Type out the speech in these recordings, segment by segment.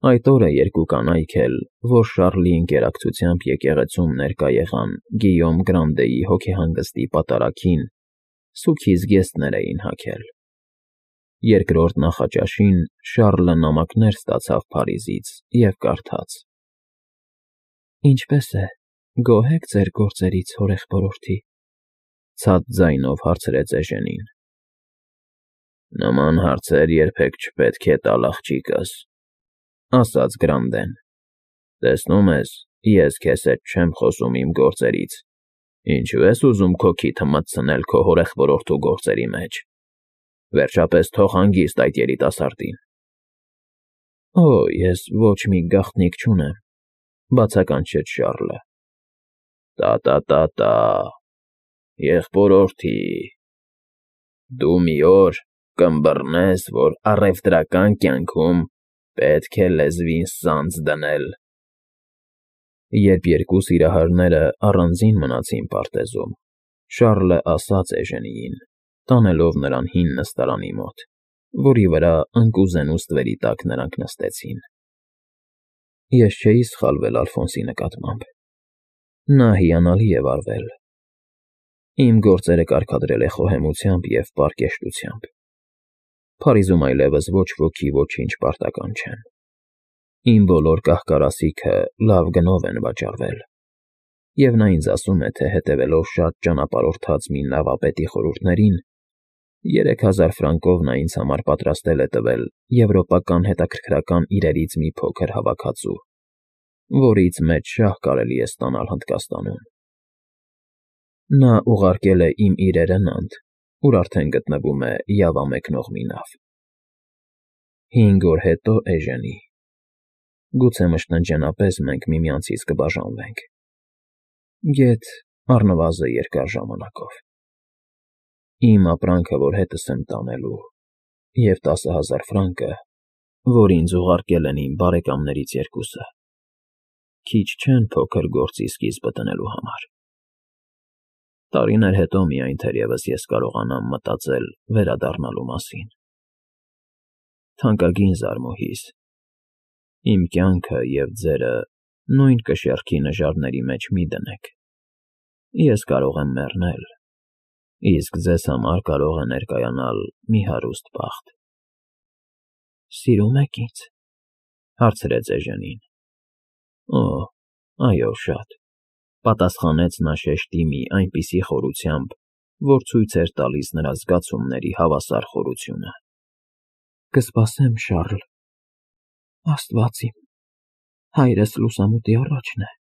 Այդ օրը երկու կանայք էլ, որ Շառլի ընկերակցությամբ եկեղեցում ներկա եղան Գիյոմ Գրանդեի հոգեհանգստի պատարագին, սուգի զգեստներ էին հագել։ Երկրորդ նախաճաշին Շառլը նամակներ ստացավ Փարիզից և կարդաց. «Ինչպե՞ս է, գոհ եք ձեր գործերից, հորեղբորորդի», ցած ձայնով հարցրեց Էժենին։ «Նման հարցեր երբեք չպետք է տալ աղջիկս», ասաց Գրանդեն։ «Տեսնում ես, ես քեզ հետ չեմ խոսում իմ գործերից, ինչո՞ւ ես ուզում քո քիթը մտցնել քո հորեղբորորդու գործերի մեջ։ Վերջապես թող հանգիստ այդ երիտասարդին»։ «Օ, ես ոչ մի գաղտնիք չունեմ», բացականչեց Շառլը։ «Տա, եղբորորդի, դու մի օր կըմբռնես, որ առևտրական կյանքում պետք է լեզվին սանձ դնել»։ Երբ երկու սիրահարները առանձին մնացին պարտեզում, Շառլը ասաց Էժենիին, տանելով նրան հին նստարանի մոտ, որի վրա ընկուզենու ստվերի տակ նրանք նստեցին. «Ես չէի սխալվել Ալֆոնսի նկատմամբ. նա հիանալի է վարվել։ Իմ գործերը կարգադրել է խոհեմությամբ և պարկեշտությամբ։ Փարիզում այլևս ոչ ոքի ոչինչ պարտական չեմ։ Իմ բոլոր կահ֊կարասիքը լավ գնով են վաճառվել, և նա ինձ ասում է, թե հետևելով շատ ճանապարհորդած մի նավապետի խորհուրդներին, 3000 ֆրանկով նա ինձ համար պատրաստել է տվել եվրոպական հետաքրքրական իրերից մի փոքր հավաքածու, որից մեծ շահ կարելի է ստանալ Հնդկաստանում։ Նա ուղարկել է իմ իրերը Նանտ, ուր արդեն գտնվում է Յավա մեկնող մի նավ։ 5 օր հետո, Էժենի, գուցե մշտնջենապես մենք միմյանցից կբաժանվենք, գեթ առնվազն երկար ժամանակով։ Իմ ապրանքը, որ հետս եմ տանելու, և 10,000 ֆրանկը, որ ինձ ուղարկել են իմ բարեկամներից երկուսը, քիչ չեն փոքր գործի սկիզբը տնելու համար։ Տարիներ հետո միայն թերևս ես կարողանամ մտածել վերադառնալու մասին։ Թանկագին զարմուհիս, իմ կյանքը և ձերը նույն կշեռքի նժարների մեջ մի դնեք։ Ես կարող եմ մեռնել, իսկ ձեզ համար կարող է ներկայանալ մի հարուստ բախտ»։ «Սիրո՞ւմ եք ինձ», հարցրեց Էժենին։ «Օ, այո, շատ», պատասխանեց նա շեշտի մի այնպիսի խորությամբ, որ ցույց էր տալիս նրա զգացումների հավասար խորությունը։ «Կսպասեմ, Շառլ։ Աստված իմ, հայրս լուսամուտի առաջն է»,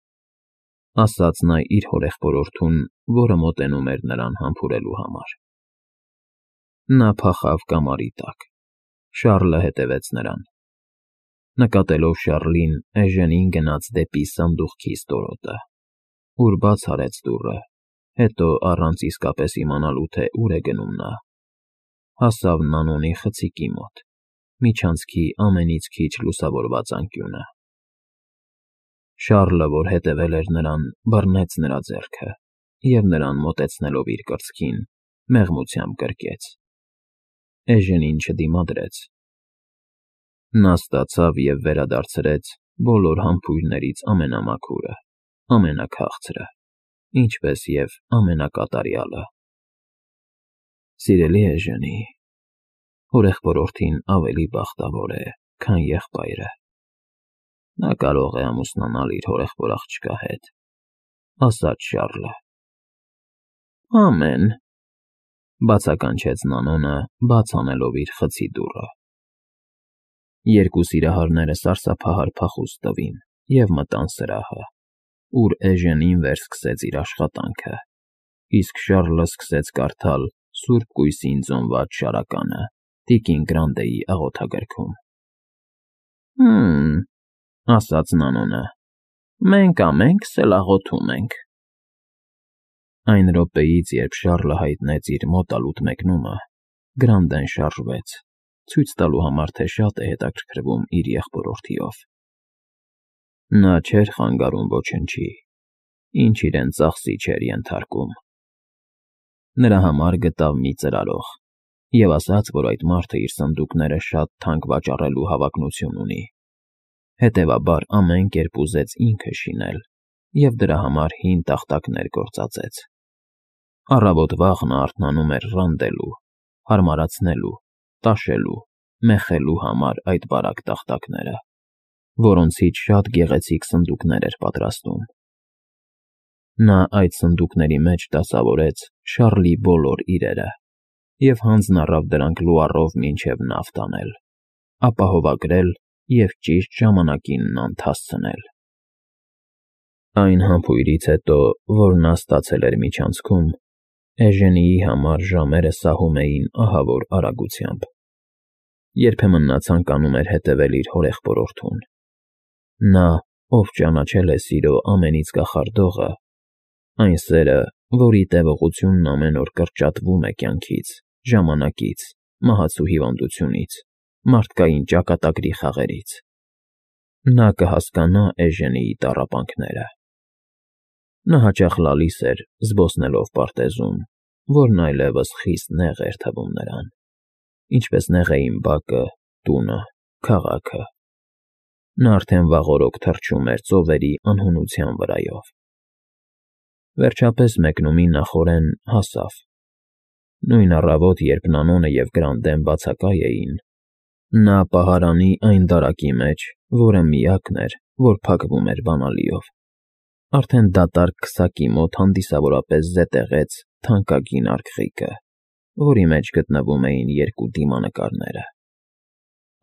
ասաց նա իր հորեղբորորդուն, որը մոտենում էր նրան համբուրելու համար։ Նա փախավ կամարի տակ։ Շառլը հետևեց նրան։ Նկատելով Շառլին, Էժենին գնաց դեպի սանդուղքի ստորոտը, ուր բաց արեց դուռը, հետո, առանց իսկապես իմանալու, թե ուր է գնում նա, հասավ Նանոնի խցիկի մոտ, միջանցքի ամենից քիչ լուսավորված անկյունը։ Շառլը, որ հետևել էր նրան, բռնեց նրա ձեռքը և նրան մոտեցնելով իր կրծքին, մեղմությամբ գրկեց։ Էժենին չդիմադրեց։ Նա ստացավ և վերադարձրեց բոլոր համբույրներից ամենամաքուրը, ամենաքաղցրը, ինչպես և ամենակատարյալը։ «Սիրելի Էժենի, հորեղբորորդին ավելի բախտավոր է, քան եղբայրը։ Նա կարող է ամուսնանալ իր հորեղբոր աղջկա հետ», ասաց Շառլը։ «Ամեն», բացականչեց Նանոնը, բաց անելով իր խցի դուռը։ Երկու սիրահարները սարսափահար փախուստ տվին և մտան սրահը, ուր Էժենին վերսկսեց իր աշխատանքը, իսկ Շառլը սկսեց կարդալ սուրբ կույսին ծոնված շարականը տիկին Գրանդեի աղոթագրքում։ «Հը՜մ», ասաց Նանոնը, «մենք ամենքս էլ աղոթում ենք»։ Այն րոպեից, երբ Շառլը հայտնեց իր մոտալուտ մեկնումը, Գրանդեն շարժվեց, ցույց տալու համար, թե շատ է հետաքրքրվում իր եղբորորդիով։ Նա չէր խանգարում ոչնչի, ինչ իրեն ծախսի չէր ենթարկում։ Նրա համար գտավ մի ծրարող և ասաց, որ այդ մարդը իր սնդուկները շատ թանկ վաճառելու հավակնություն ունի։ հետևաբար ամեն կերպ ուզեց ինքը շինել և դրա համար հին տախտակներ գործածեց։ Առավոտ վաղ նա արթնանում էր ռանդելու, հարմարացնելու, տաշելու, մեխելու համար այդ բարակ տախտակները, որոնցից շատ գեղեցիկ սնդուկներ էր պատրաստում։ Նա այդ սնդուկների մեջ դասավորեց Շառլի բոլոր իրերը և հանձն առավ դրանք լուառով մինչև նավ տանել, ապահովագրել և ճիշտ ժամանակին նանց հասցնել։ Այն համբույրից հետո, որ նա ստացել էր միջանցքում, Էժենիի համար ժամերը սահում էին ահավոր արագությամբ։ Երբեմն նա ցանկանում էր հետևել իր հորեղբորորդուն։ Նա, ով ճանաչել է սիրո ամենից կախարդողը, այն սերը, որի տևողությունն ամեն օր կրճատվում է կյանքից, ժամանակից, մահացու հիվանդությունից, մարդկային ճակատագրի խաղերից, նա կհասկանա Էժենիի տառապանքները։ Նա հաճախ լալիս էր, զբոսնելով պարտեզում, որն այլևս խիստ նեղ էր թվում նրան, ինչպես նեղ էին բակը, տունը, քաղաքը։ Նա արդեն վաղօրոք թռչում էր ծովերի անհունության վրայով։ Վերջապես մեկնումի նախօրեն հասավ։ Նույն առավոտ, երբ Նանոնը և Գրանտեն բացակայ էին, նա պահարանի այն դարակի մեջ, որը միակն էր, որ փակվում էր բանալիով, արդեն դատարկ քսակի մոտ հանդիսավորապես զետեղեց թանկագին արգղիկը, որի մեջ գտնվում էին երկու դիմանկարները։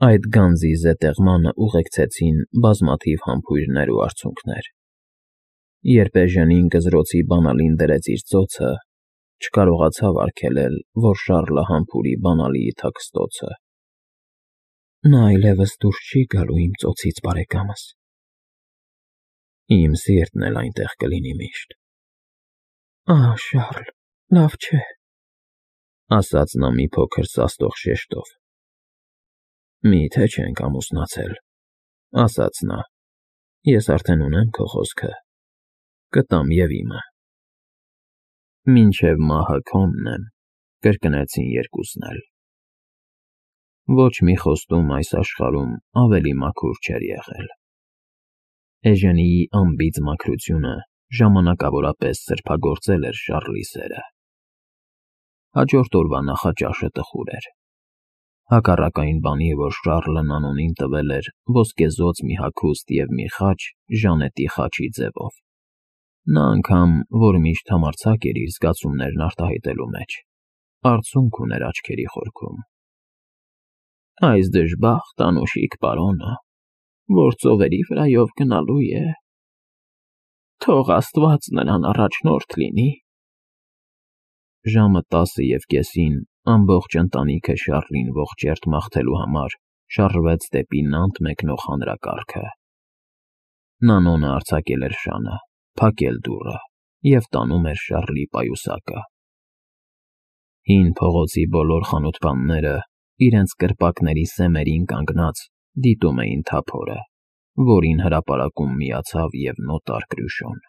Այդ գանձի զետեղմանը ուղեկցեցին բազմաթիվ համբույրներ ու արցունքներ։ Երբ Էժենին գզրոցի բանալին դրեց իր ծոցը, չկարողացավ արգելել, որ Շառլը համբուրի բանալիի թաքստոցը։ Նա այլևս դուրս չի գալու իմ ծոցից, բարեկամս։ Իմ սիրտն էլ այնտեղ կլինի միշտ։ Ահ, Շառլ, լավ չէ, ասաց նա մի փոքր սաստող շեշտով։ Մի՞թե չենք ամուսնացել, ասաց նա, ես արդեն ունեմ քո խոսքը, կտամ և իմը։ Մինչև մահը քոնն եմ, կրկնեցին երկուսն էլ։ Ոչ մի խոստում այս աշխարհում ավելի մաքուր չէր եղել։ Էժենիի անբիծ մաքրությունը ժամանակավորապես սրբագործել էր Շառլի սերը։ Հաջորդ օրվա նախաճաշը տխուր էր։ Հակառակ այն բանի, որ Շառլը Նանոնին տվել էր ոսկեզօծ մի հագուստ և մի խաչ ժանետի խաչի ձևով։ Նա անգամ, որ միշտ համարձակ էր իր զգացումներն արտահայտելու մեջ, արցունք ուներ աչքերի խորքում։ Այս դժբախտ անուշիկ պարոնը, որ ծովերի վրայով գնալու է, թող Աստված նրան առաջնորդ լինի։ Ժամը 10:30-ին ամբողջ ընտանիքը Շառլին ողջերթ մաղթելու համար շարժվեց դեպի Նանտ մեկնող հանրակարգը։ Նանոնը արձակել էր շանը, փակել դուռը և տանում էր Շառլի պայուսակը։ Հին փողոցի բոլոր խանութպանները, իրենց կրպակների սեմերին կանգնած, դիտում էին թափորը, որին հրապարակում միացավ և նոտար Կրյուշոն։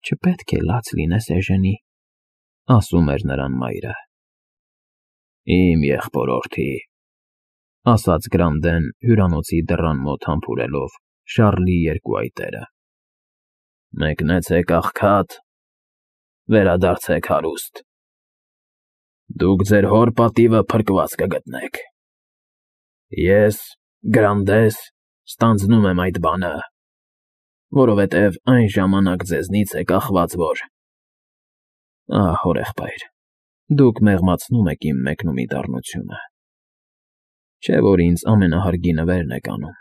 Չպետք է լաց լինես, Էժենի, ասում էր նրան մայրը։ Իմ եղբորորդի, ասաց Գրանդեն հյուրանոցի դռան մոտ համբուրելով Շառլի երկու այտերը։ Մեկնեցեք աղքատ, վերադարձեք հարուստ։ Դուք ձեր հոր պատիվը փրկված կգտնեք։ Ես, Գրանդես, ստանձնում եմ այդ բանը, որովհետև այն ժամանակ ձեզնից է կախված, որ… Ահ, հորեղբայր, դուք մեղմացնում եք իմ մեկնումի դառնությունը, չէ՞ որ ինձ ամենահարգի նվերն եք անում։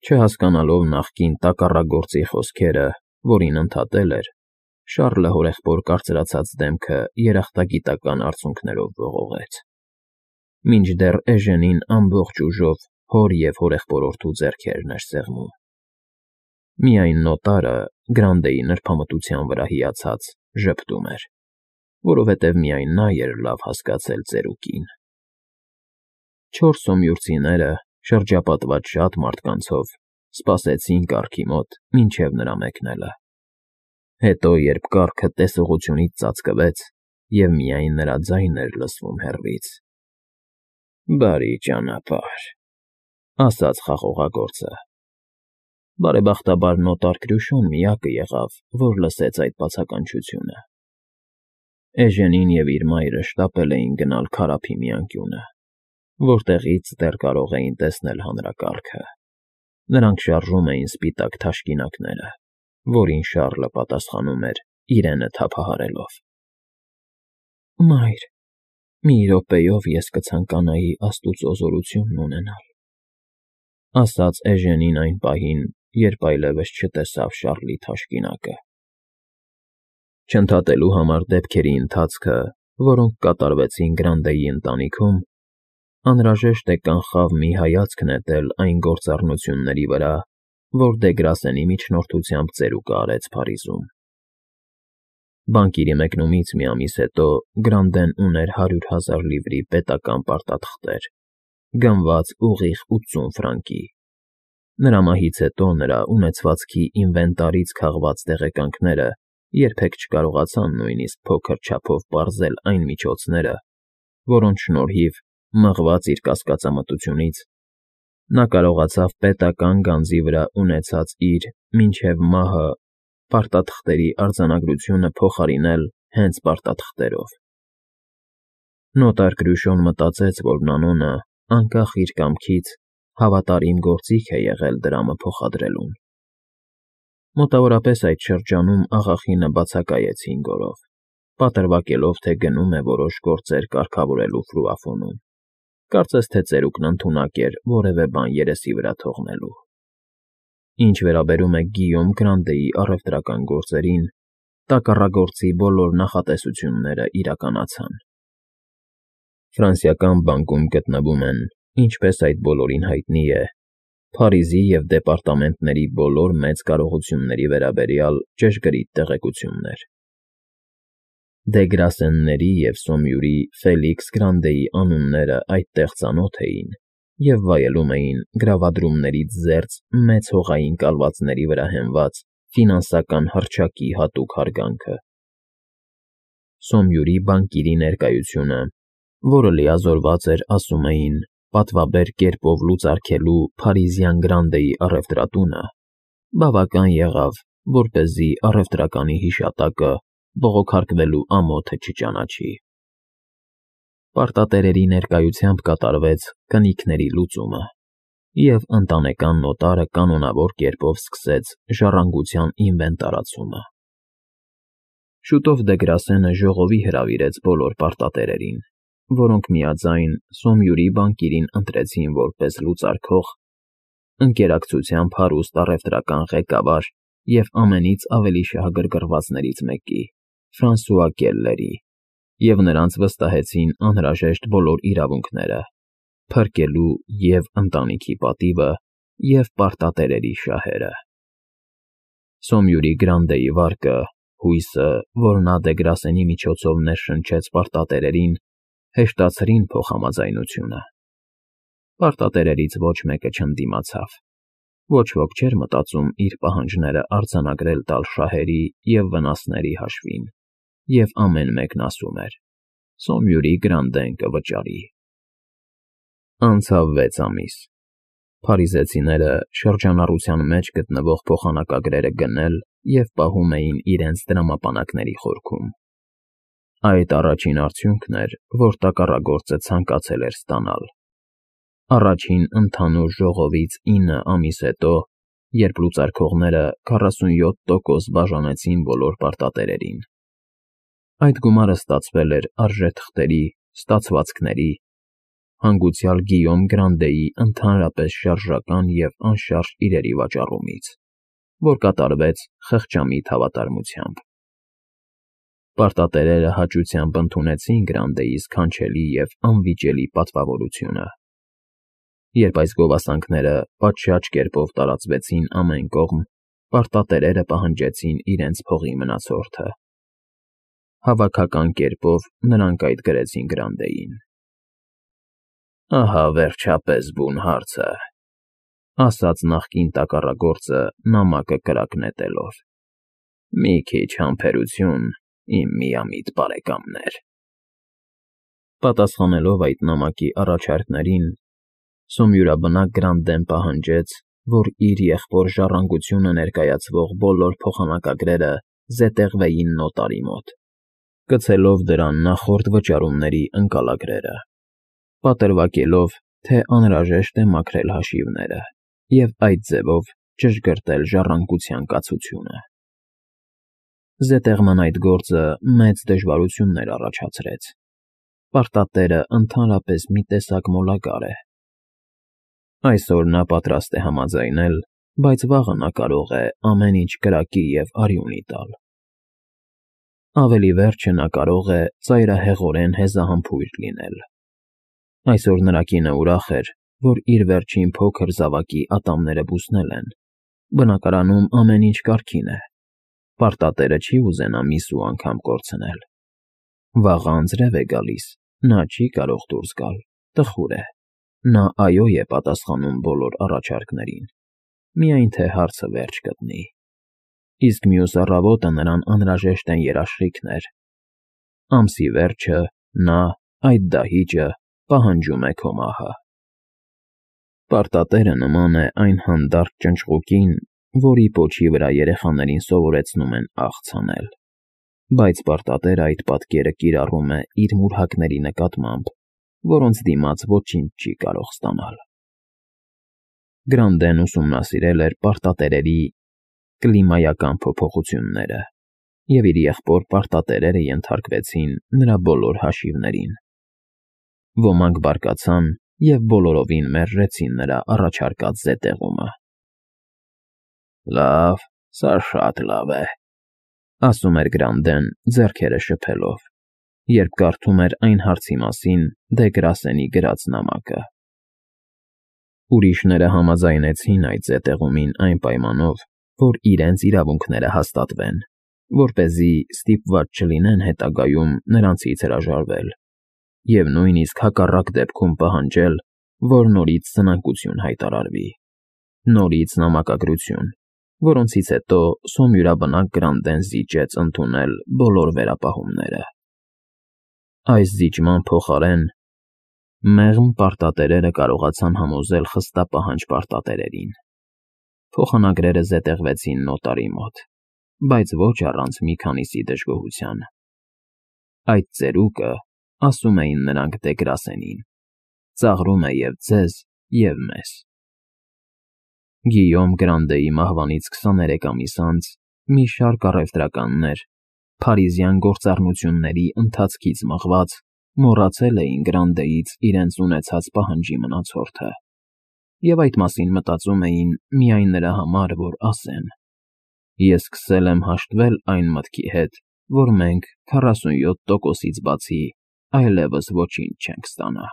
Չհասկանալով նախկին տակառագործի խոսքերը, որին ընդհատել էր, Շառլը հորեղբոր կարծրացած դեմքը երախտագիտական արցունքներով ողողեց, մինչդեռ Էժենին ամբողջ ուժով հոր և հորեղբորորդու ձեռքերն էր սեղմում։ Միայն նոտարը, Գրանտեի նրբամտության վրա հիացած, ժպտում էր, որովհետև միայն նա էր լավ հասկացել ծերուկին։ 4 սոմյուրցիները, շրջապատված շատ մարդկանցով, սպասեցին կառքի մոտ մինչև նրա մեկնելը։ Հետո, երբ կառքը տեսողությունից ծածկվեց, և միայն նրա ձայնն էր լսվում հեռվից. Բարի ճանապարհ։ ասաց խաղողագործը։ Բարեբախտաբար նոտար Կրյուշոն միակը եղավ, որ լսեց այդ բացականչությունը։ Էժենին և իր մայրը շտապել էին գնալ քարափի մի անկյունը, որտեղից դեռ կարող էին տեսնել հանրակարգը։ Նրանք շարժում էին սպիտակ թաշկինակները, որին Շառլը պատասխանում էր իրենը թափահարելով։ Մայր, մի րոպեով ես կցանկանայի աստուծո զորությունն ունենալ, ասաց Էժենին այն պահին, երբ այլևս չտեսավ Շառլի թաշկինակը։ Չընդհատելու համար դեպքերի ընթացքը, որոնք կատարվեցին Գրանդեի ընտանիքում, անհրաժեշտ է կանխավ մի հայացք նետել այն գործառնությունների վրա, որ Դեգրասենի միջնորդությամբ ծերուկը արեց Փարիզում։ Բանկիրի մեկնումից մի ամիս հետո Գրանդեն ուներ 100,000 լիվրի պետական պարտաթղթեր, գնված ուղիղ 80 ֆրանկի։ Նրա մահից հետո նրա ունեցվածքի ինվենտարից քաղված տեղեկանքները երբեք չկարողացան նույնիսկ փոքր չափով պարզել այն միջոցները, որոնց շնորհիվ, մղված իր կասկածամտությունից, նա կարողացավ պետական գանձի վրա ունեցած իր մինչև մահը պարտաթղթերի արձանագրությունը փոխարինել հենց պարտաթղթերով։ Նոտար Կրյուշոն մտածեց, որ Նանոնը, անկախ իր կամքից, հավատարիմ գործիք է եղել դրամը փոխադրելուն։ Մոտավորապես այդ շրջանում աղախինը բացակայեց 5 օրով, պատրվակելով, թե գնում է որոշ գործեր կարգավորելու Ֆրուաֆոնում։ Կարծես թե ծերուկն ընդունակ էր որևէ բան երեսի վրա թողնելու։ Ինչ վերաբերում է Գիյոմ Գրանդեի առևտրական գործերին, տակառագործի բոլոր նախատեսությունները իրականացան։ Ֆրանսիական բանկում գտնվում են, ինչպես այդ բոլորին հայտնի է, Փարիզի և դեպարտամենտների բոլոր մեծ կարողությունների վերաբերյալ ճշգրիտ տեղեկություններ։ Դեգրասենների և Սոմյուրի Ֆելիքս Գրանդեի անունները այդտեղ ծանոթ էին և վայելում էին գրավադրումներից զերծ մեծ հողային կալվածների վրա հենված ֆինանսական հռչակի հատուկ հարգանքը։ Սոմյուրի բանկիրի ներկայությունը, որը լիազորված էր, ասում էին, պատվաբեր կերպով լուծարգելու Փարիզյան Գրանդեի առևտրատունը, բավական եղավ, որպեսզի առևտրականի հիշատակը բողոքարկվելու ամոթը չճանաչի։ Պարտատերերի ներկայությամբ կատարվեց կնիքների լուծումը, և ընտանեկան նոտարը կանոնավոր կերպով սկսեց ժառանգության ինվենտարացումը։ Շուտով Դեգրասենը ժողովի հրավիրեց բոլոր պարտատերերին, որոնք միաձայն Սոմյուրի բանկիրին ընտրեցին որպես լուծարքող, ընկերակցությամբ հարուստ առևտրական ղեկավար և ամենից ավելի շահագրգռվածներից մեկի՝ Ֆրանսուଆ Կելլերի, և նրանց վստահեցին անհրաժեշտ բոլոր իրավունքները՝ փրկելու և ընտանիքի պատիվը, և պարտատերերի շահերը։ Սոմյուրի Գրանդեի վարկը, հույսը, որ նա Դեգրասենի միջոցով ներշնչեց պարտատերերին, հեշտացրին փոխհամաձայնությունը։ Պարտատերերից ոչ մեկը չընդդիմացավ։ Ոչ ոք չէր մտածում իր պահանջները արձանագրել տալ շահերի և վնասների հաշվին, և ամեն մեկն ասում էր. Սոմյուրի Գրանդեն կվճարի։ Անցավ 6 ամիս։ Փարիզեցիները շրջանառության մեջ գտնվող փոխանակագրերը գնել և պահում էին իրենց դրամապանակների խորքում։ Այդ առաջին արդյունքն էր, որ տակառագործը ցանկացել էր ստանալ։ Առաջին ընդհանուր ժողովից 9 ամիս հետո, երբ լուծարքողները 47% բաժանեցին բոլոր պարտատերերին։ Այդ գումարը ստացվել էր արժեթղթերի, ստացվածքների, հանգուցյալ Գիյոմ Գրանդեի ընդհանրապես շարժական և անշարժ իրերի վաճառումից, որ կատարվեց խղճամիտ հավատարմությամբ։ Պարտատերերը հաճությամբ ընդունեցին Գրանդեի սքանչելի և անվիճելի պատվավորությունը։ Երբ այս գովասանքները պատշաճ կերպով տարածվեցին ամեն կողմ, պարտատերերը պահանջեցին իրենց փողի մնացորդը։ Հավաքական կերպով նրանք այդ գրեցին Գրանդեին։ Ահա վերջապես բուն հարցը, ասաց նախկին տակառագործը նամակը կրակ նետելով։ Մի քիչ համբերություն, իմ միամիտ բարեկամներ։ Պատասխանելով այդ նամակի առաջարկներին, Սոմյուրաբնակ Գրանդեն պահանջեց, որ իր եղբոր ժառանգությունը ներկայացվող բոլոր փոխանակագրերը զետեղվեին նոտարի մոտ, գցելով դրան նախորդ վճարումների ընկալագրերը, պատրվակելով, թե անհրաժեշտ է մաքրել հաշիվները և այդ ձևով ճշգրտել ժառանգության կացությունը։ Զետեղման այդ գործը մեծ դժվարություններ առաջացրեց։ Պարտատերը ընդհանրապես մի տեսակ մոլագար է։ Այսօր նա պատրաստ է համաձայնել, բայց վաղը նա կարող է ամեն ինչ կրակի և արյունի տալ։ Ավելի վերջը նա կարող է ծայրահեղորեն հեզահամբույր լինել։ Այսօր նրա կինը ուրախ էր, որ իր վերջին փոքր զավակի ատամները բուսնել են, բնակարանում ամեն ինչ կարգին է, պարտատերը չի ուզենա միս ու անգամ կորցնել։ Վաղը անձրև է գալիս, նա չի կարող դուրս գալ, տխուր է, նա այո է պատասխանում բոլոր առաջարկներին, միայն թե հարցը վերջ գտնի։ Իսկ մյուս առավոտը նրան անհրաժեշտ են երաշխիքներ։ Ամսի վերջը նա, այդ դահիճը, պահանջում է քո մահը։ Պարտատերը նման է այն հանդարտ ճնճղուկին, որի պոչի վրա երեխաներին սովորեցնում են աղց հանել, բայց պարտատերը այդ պատկերը կիրառում է իր մուրհակների նկատմամբ, որոնց դիմաց ոչինչ չի կարող ստանալ։ Գրանդեն ուսումնասիրել էր պարտատերերի կլիմայական փոփոխությունները, և իր եղբոր պարտատերերը ենթարկվեցին նրա բոլոր հաշիվներին։ Ոմանք բարկացան և բոլորովին մերժեցին նրա առաջարկած զետեղումը։ «Լավ, սա շատ լավ է», ասում էր Գրանդեն, ձեռքերը շփելով, երբ կարդում էր այն հարցի մասին Դե Գրասենի գրած նամակը։ Ուրիշները համաձայնեցին այդ զետեղումին այն պայմանով, որ իրենց իրավունքները հաստատվեն, որպեսզի ստիպված չլինեն հետագայում նրանցից հրաժարվել և նույնիսկ հակառակ դեպքում պահանջել, որ նորից սնանկություն հայտարարվի, նորից նամակագրություն, որոնցից հետո սոմյուրաբնակ Գրանդեն զիջեց ընդունել բոլոր վերապահումները։ Այս զիջման փոխարեն մեղմ պարտատերերը կարողացան համոզել խստապահանջ պարտատերերին։ Փոխանագրերը զետեղվեցին նոտարի մոտ, բայց ոչ առանց մի քանիսի դժգոհության։ Այդ ծերուկը, ասում էին նրանք Դե Գրասենին, ծաղրում է և ձեզ, և մեզ։ Գիյոմ Գրանդեի մահվանից 23 ամիս անց մի շարք առևտրականներ, փարիզյան գործառնությունների ընթացքից մղված, մոռացել էին Գրանդեից իրենց ունեցած պահանջի մնացորդը և այդ մասին մտածում էին միայն նրա համար, որ ասեն. «Ես սկսել եմ հաշտվել այն մտքի հետ, որ մենք 47%-ից բացի այլևս ոչինչ չենք ստանա»։